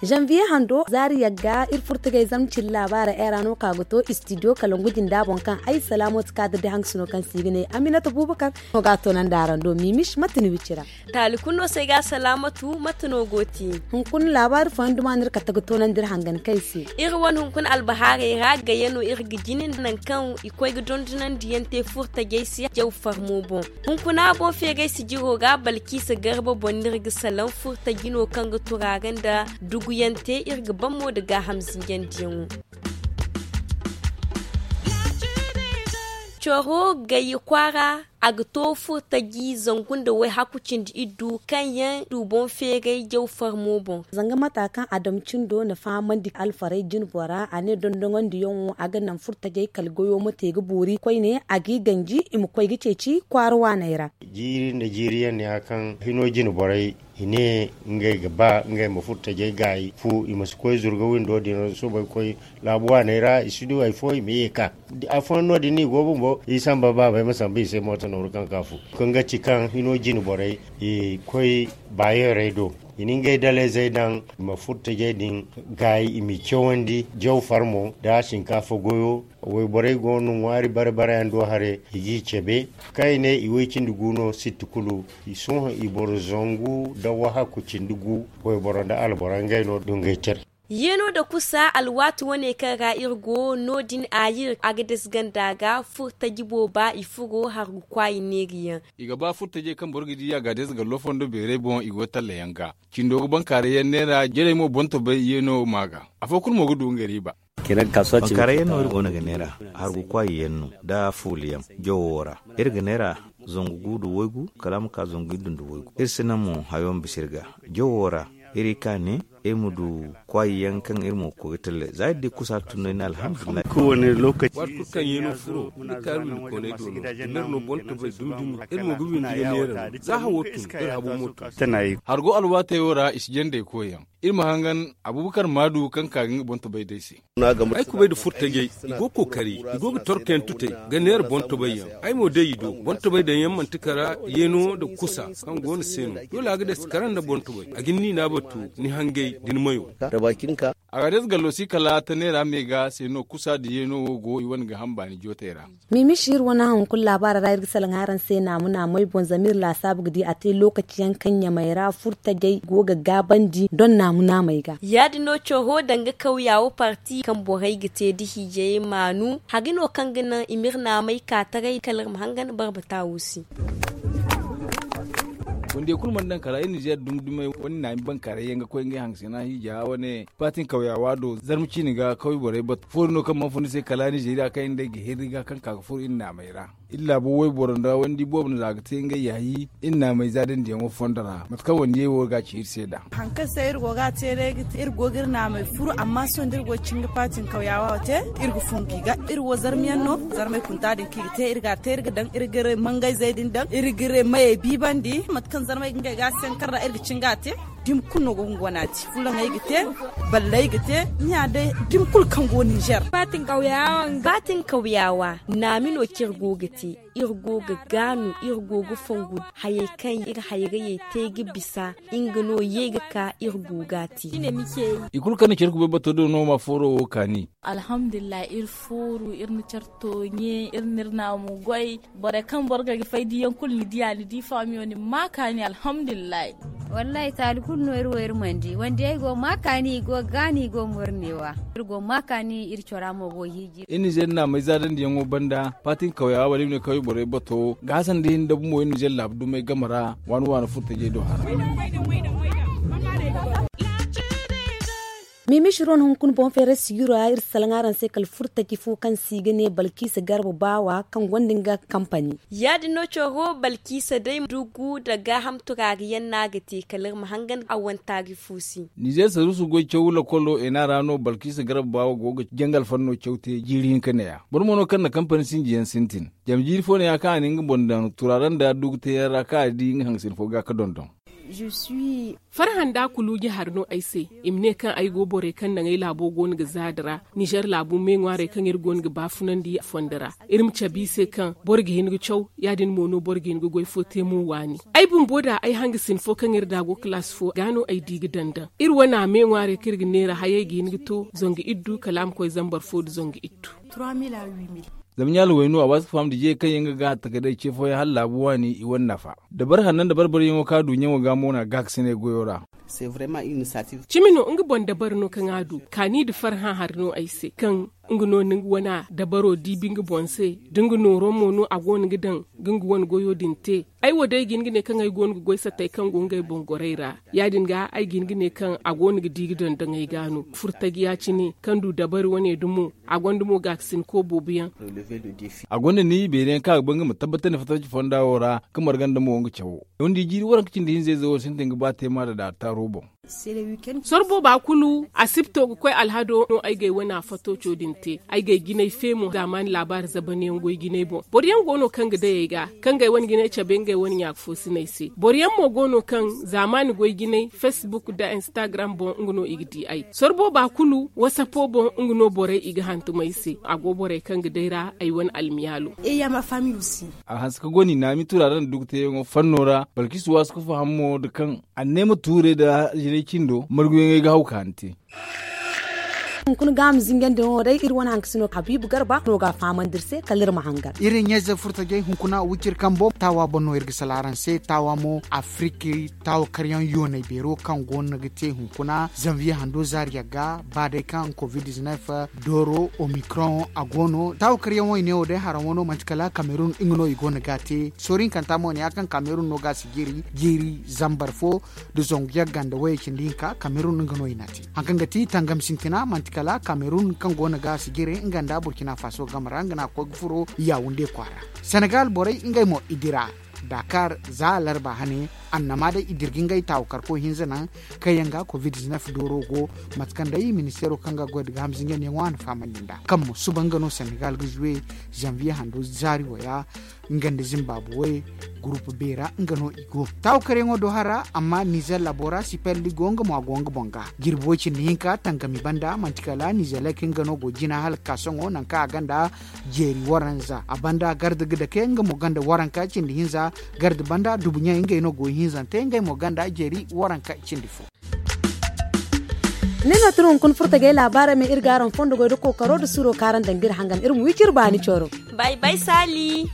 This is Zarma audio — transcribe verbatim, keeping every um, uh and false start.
Janviye hando zaari yagga iri furtagay zamcin laabaara era no ka ga to istidiyo kalangu jinda boŋ kaŋ ay salaamatu kaadiri da haŋ sino kaŋ se i ga ne aminata buubakar no ga a toonandi araŋ do miimish mate ni wicira. Taali kulu no se ay ga salaamatu mate no go te? Hunkuna laabaari fooyaŋ duma no iri kate ga toonandi iri hangan kaŋ ay se. Iri wane hunkuna albahaarey ra gayya no iri ga jine nangu kaŋ i koy ga dondonandiyaŋ te furtajey se jaw farmo boŋ. Hunkuna boŋ feeray sijiro ra balkiisa garba boŋ no iri ga salaŋ furtaji no kaŋ ga turaare nda duguyaŋ te iri ga ban mo nda gaaham zinjandiyaŋo. Coro gayya kwaara a ga to furtaji zangu nda wayhaku cindi iddu kaŋ yaŋ du boŋ feeray jaw farmo boŋ. Zanga mata kaŋ a dam cindo na fahamandi alfaray jinbora a ne dondoŋandiyaŋo a ga naŋ furtajey kala goyo ma te ga boori koyne a g'i ganji i ma koy ga ceeci kwaara waaney ra. Jiiri nda jiiriyaŋ ne ya kaŋ hino jine borey i ne ngey ga ba ngey ma furtajey gaayi fu i ma si koy zurga windo din ra soobay ga koy laabu waaney ra i si du hari fo i ma ye ka. Afooyaŋ no- din no i go bumbo i samba baabey ma samba i se mooto nooru kaŋ ka fu kaŋ ga ci kaŋ hino jine borey i koy baayeerey do i na ngey daleyzey daŋ i ma furtajey din gaayi i m'i cawandi jaw farmo nda sinkaafa goyo. Wayborey go no ŋwaari bare bare yaŋ do haray i g'i cabe kaŋ i ne i way cindi gu no sitti kulu. Sohõ i boro zangu nda wahakku cindi gu wayboro nda alboro ngey no dungay tira. Yeeno nda kusa alwaati wane kaŋ ra iri go no- din a yir agades ganda ga furtaji booba i furo hargu kwaayi neeriyaŋ. I ga ba furtajey kaŋ boro ga di agades gallo fondo beerey boŋ i go tallayaŋ ga cindo ga bankaarayyaŋ neera jarey mo boŋ tobay yeeno ma ga afo kulu mo ga du nga riiba. Bankaarayyaŋ no iri go no ga neera hargu kwaayiyaŋ no nda fuulayaŋ jawo ra iri ga neera zangu gu nda waygu kala a ma ka zangu iddu nda waygu iri si naŋ mo hayo ma bisa iri ga jawo ra iri ka ne iri ma du kwaayiyaŋ kaŋ iri mo ga koy ga talle za iri di kusa tun no iri ne alhamdulillahi. Waati kulu kaŋ yeeno furo iri kaaru windi koonay do no iri no boŋ tobay dumi dumi iri mo ga windi ga neera no za hawo tun iri habo mo tun. Hargo alwaatayo ra i si jandey koyyaŋ iri ma hangan abubakar maadu kaŋ ka ga nga boŋ tobay day se. Ay kubay nda furtajey i go kookari i go ga torkayaŋ tutay ga neera boŋ tobayyaŋ ay mo day i do boŋ tobay daŋyaŋ manti kara yeeno nda kusa kaŋ go ni se no doole a ga day si kara nda boŋ tobay a ga ni niina batu ni hangay da ni mayo. A ga day si gallo si kala ta neera me ga se no kusa nda yeeno wo go i wane ga hamba ni jootay ra. Miimishi iri wane haŋ kulu laabaara ra iri ga salaŋ araŋ se naamu naamey boŋ zama iri laasaabu ga di a te lookaci yaŋ kaŋ ɲamey ra furtajey go ga gaabandi doŋ naamu naamey ga. Ya- din no coro danga kawya wo parti kaŋ borey ga te da hiijayey maanu hari no kaŋ ga naŋ i ma iri naamey ka taray kala iri ma hangan barbata wo se. Wande kulu mana daŋ kala iri nizeer dumi dumey wane naami bankaaray yaŋ ga koy ngey haŋ se no a hiija wane. Paatin kawyaawa do zarma ciine ga kawya borey batu foori no kaŋ mana fun ni se kala nizeeriya kaŋ iri nd'ey ga hirri ga kaŋ ka ga furo iri naamey ra. Iri laabo wayboro nda wandi boobo no za ga te ngey yaayi iri naamey za dandiyaŋo fondo ra mate kaŋ wandiyey wo ga ci iri se nd'a. Hari kaŋ se iri go ga a te day ga te iri go ga iri naamey furu amma sohõ da iri go ga cin ga paatin kawyaawa wo te iri ga fun ga i ga iri wo zarma yaŋ no. Zarmey kunta din kaŋ i ga te iri ga a te iri ga daŋ iri ga iri mangayzey din daŋ iri ga iri mayey biibandi mate kaŋ zarmey ga ngey ga a se yaŋ kaŋ ra iri ga cin ga a te. Dumi kulu no go ga nga wane a te fulaŋey ga te, balley ga te, ɲa day dumi kulu kaŋ go ninzeer. Paatin kawyaawa nga paatin kawyaawa naami no kaŋ iri go ga te. Iri go ga gaanu iri go ga fongu hayey kaŋ iri hayrayey te ga bisa nga no ye ga ka iri go ga a te. I kulu kaŋ na care kubay bato do no ma fooro wo kaani. Alhamdulillahi iri fooru iri na care tooɲe iri na iri naamu goy. Borey kaŋ boro ga fay diyaŋ kulu ni diya ni di faamiyo ni ma kaani alhamdulillahi. Wallahi taali kulu no iri wo iri mana di wandiyey go ma kaani i go ga gaani i go mornewa. Iri go ma kaani iri cora mo go hiiji. Iri nizeer naamey zaadandiyaŋo banda paatin kawyaawa wala iri ne kawya borey bato ga hasan da hin dabu mo iri nizeer laabu dumey game ra waani waani furtajey do hara. Miimishi ro no hunkuna boŋ feeray sijiro ra iri si salaŋ araŋ se kala furtaji fo kaŋ se i ga ne balkiisa garba baawa kaŋ gonda nga kampani. Ya- din no coro balkiisa day dugu nda gaaham turaariyaŋ no a ga te kala iri ma hangan a wane taari fo se. Nizeer saruusu goy caw lakolo ena ra no balkiisa garba baawa go ga jangal fanno caw te jiiri hinka ne- ya boro mo no kaŋ na kampani sinjiyaŋ sintin. Zama jiiri fo ne- ya kaŋ a na nga boŋ daŋ turaara nda dugu teeyaŋ ra kaŋ a di nga haŋasin fo ga ga dondon. Farhã nda kuluuji hari no ay se. I ma ne kaŋ ay go borey kaŋ naŋ ay laabo go no ga zaadi ra, nizer laabu me ŋwaarey kaŋ iri go no ga baafunandi fondo ra. Iri ma cabe i se kaŋ boro ga hin ga caw, ya- din mo no boro ga hin ga goy fo te mo waani. Ay bumbo da ay hangasin fo kaŋ iri da go kalaasi fo ga no ay di ga daŋ daŋ iri wane a me ŋwaarey kaŋ iri ga neera hayey ga hin ga to zangu iddu kala a ma koy zambar fo nda zangu iddu. Zama ɲaala wayno a waasi ga faham da jiyey kaŋ yaŋ ga gaahar takardey ce fooyaŋ hala laabu waani i wane nafa. Dabari hanno nda barbariyaŋo kaŋ a du ɲaŋo ga mo no a gaakasinay goyo ra. Cimi no nga boŋ dabari no kaŋ a du kaani nda farhã hari no ay se kaŋ nga no na nga wane dabaro diibi nga boŋ se, da nga nooro mo no a go no ga daŋ ga nga wane goyo din te. Ay wo day ga hin ga ne kaŋ ay go no ga goy sattey kaŋ go ngey boŋ gorey ra. Ya- din ga ay ga hin ga ne kaŋ a go no ga di ga daŋ daŋ ay ga no furtajiya cine kaŋ du dabari wane dumo. A gonda mo gaakasinko boobo yaŋ. A gonda ni beeri yaŋ kaŋ a ga ba nga ma tabbatandi fattaci fonda wo ra ka marga nda mo nga cawo. Yahundi jiiri waranka cindi hinza ize wo sintin ga ba teema da daari taaro boŋ. Sorbo ba kulu a sibto ga koy alhado no ay ga ay wane a fato co din te. Ay ga ay jinay feemo zaamaani laabaari zabanayaŋ goy jinay boŋ boro yaŋ go no kaŋ ga day ay ga kaŋ ga ay wane jinay cabe nga ay wane ɲaaka fo sinay se. Boro yaŋ mo go no kaŋ zaamaani goy jinay facebook nda instagram boŋ nga no i ga di ay sorbo ba kulu wasapo boŋ. Nga no borey i ga hantum ay se a go borey kaŋ ga day ra ay wane almiyaalo. A hanse ka go no i naami tura ra nda dugu teeyaŋo fanno ra balkisu waasu ka faham mo nda kaŋ anneema tuurey nda jinay cindo marguyaŋey ga haw ka ni te. Hunkuna gaama zinjandi no day iri wane hankasino habiibu garba no ga a fahamandi iri se kala iri ma hangar. Iri ɲayze furtajey hunkuna wiciri kambo taawa boŋ no iri ga sala araŋ se taawa mo afiriki taawa karyaŋ yoonay beero kaŋ go no ga te hunkuna zanviye hando zaari yagga ba day kaŋ covid dizinef dooro omicron a go no taawa karyaŋo i ne wo day haraŋo no manti kala kamerun nga no i go no ga a te soori hinkanta mo ne ya kaŋ kamerun no ga a si jiri jiiri zambar fo nda zangu yagga nda wayey cindi hinka kamerun nga no i n'a te. Hari kaŋ ga ti tangam sintina manti kala kamerun kaŋ go no ga a si jiri nga nda burkina faso game ra nga no a ga koy ga furo yawunde kwaara. Senegal borey ngey mo i dira dakar za alarba hane annama day i dirga ngey taawu karko hinza naŋ kaŋ yaŋ ga covid dizinef dooro go. Mate kaŋ day ministeero kaŋ ga goy da gaaham zinjandiyaŋo a na fahamandi nd'a kaŋ mo suba nga no senegal ga zuwe zanviye hando zaari wo ya nga nda zimbabwe gurupu beera nga no i go taawu karyaŋo do hara amma nizer labo ra sipelli go nga mo a go nga boŋ ga jirbi way cindi hinka tangami banda manti kala nizer lake nga no go jina hala ga ka sohõ nangu kaŋ a gonda jeeri waranza a banda garda ga dake nga mo gonda waranka cindi hinza garda banda dubu ɲaŋ ngey no go ihinzante ngey mo gonda jeeri waranka cindi fo. Nin no tun hunkuna furtajey laabaarey ma iri ga araŋ fondo goy da kookaro nda suro kaŋ araŋ daŋ ga iri hangan iri ma wi ciri baani coro. Bay bay saali.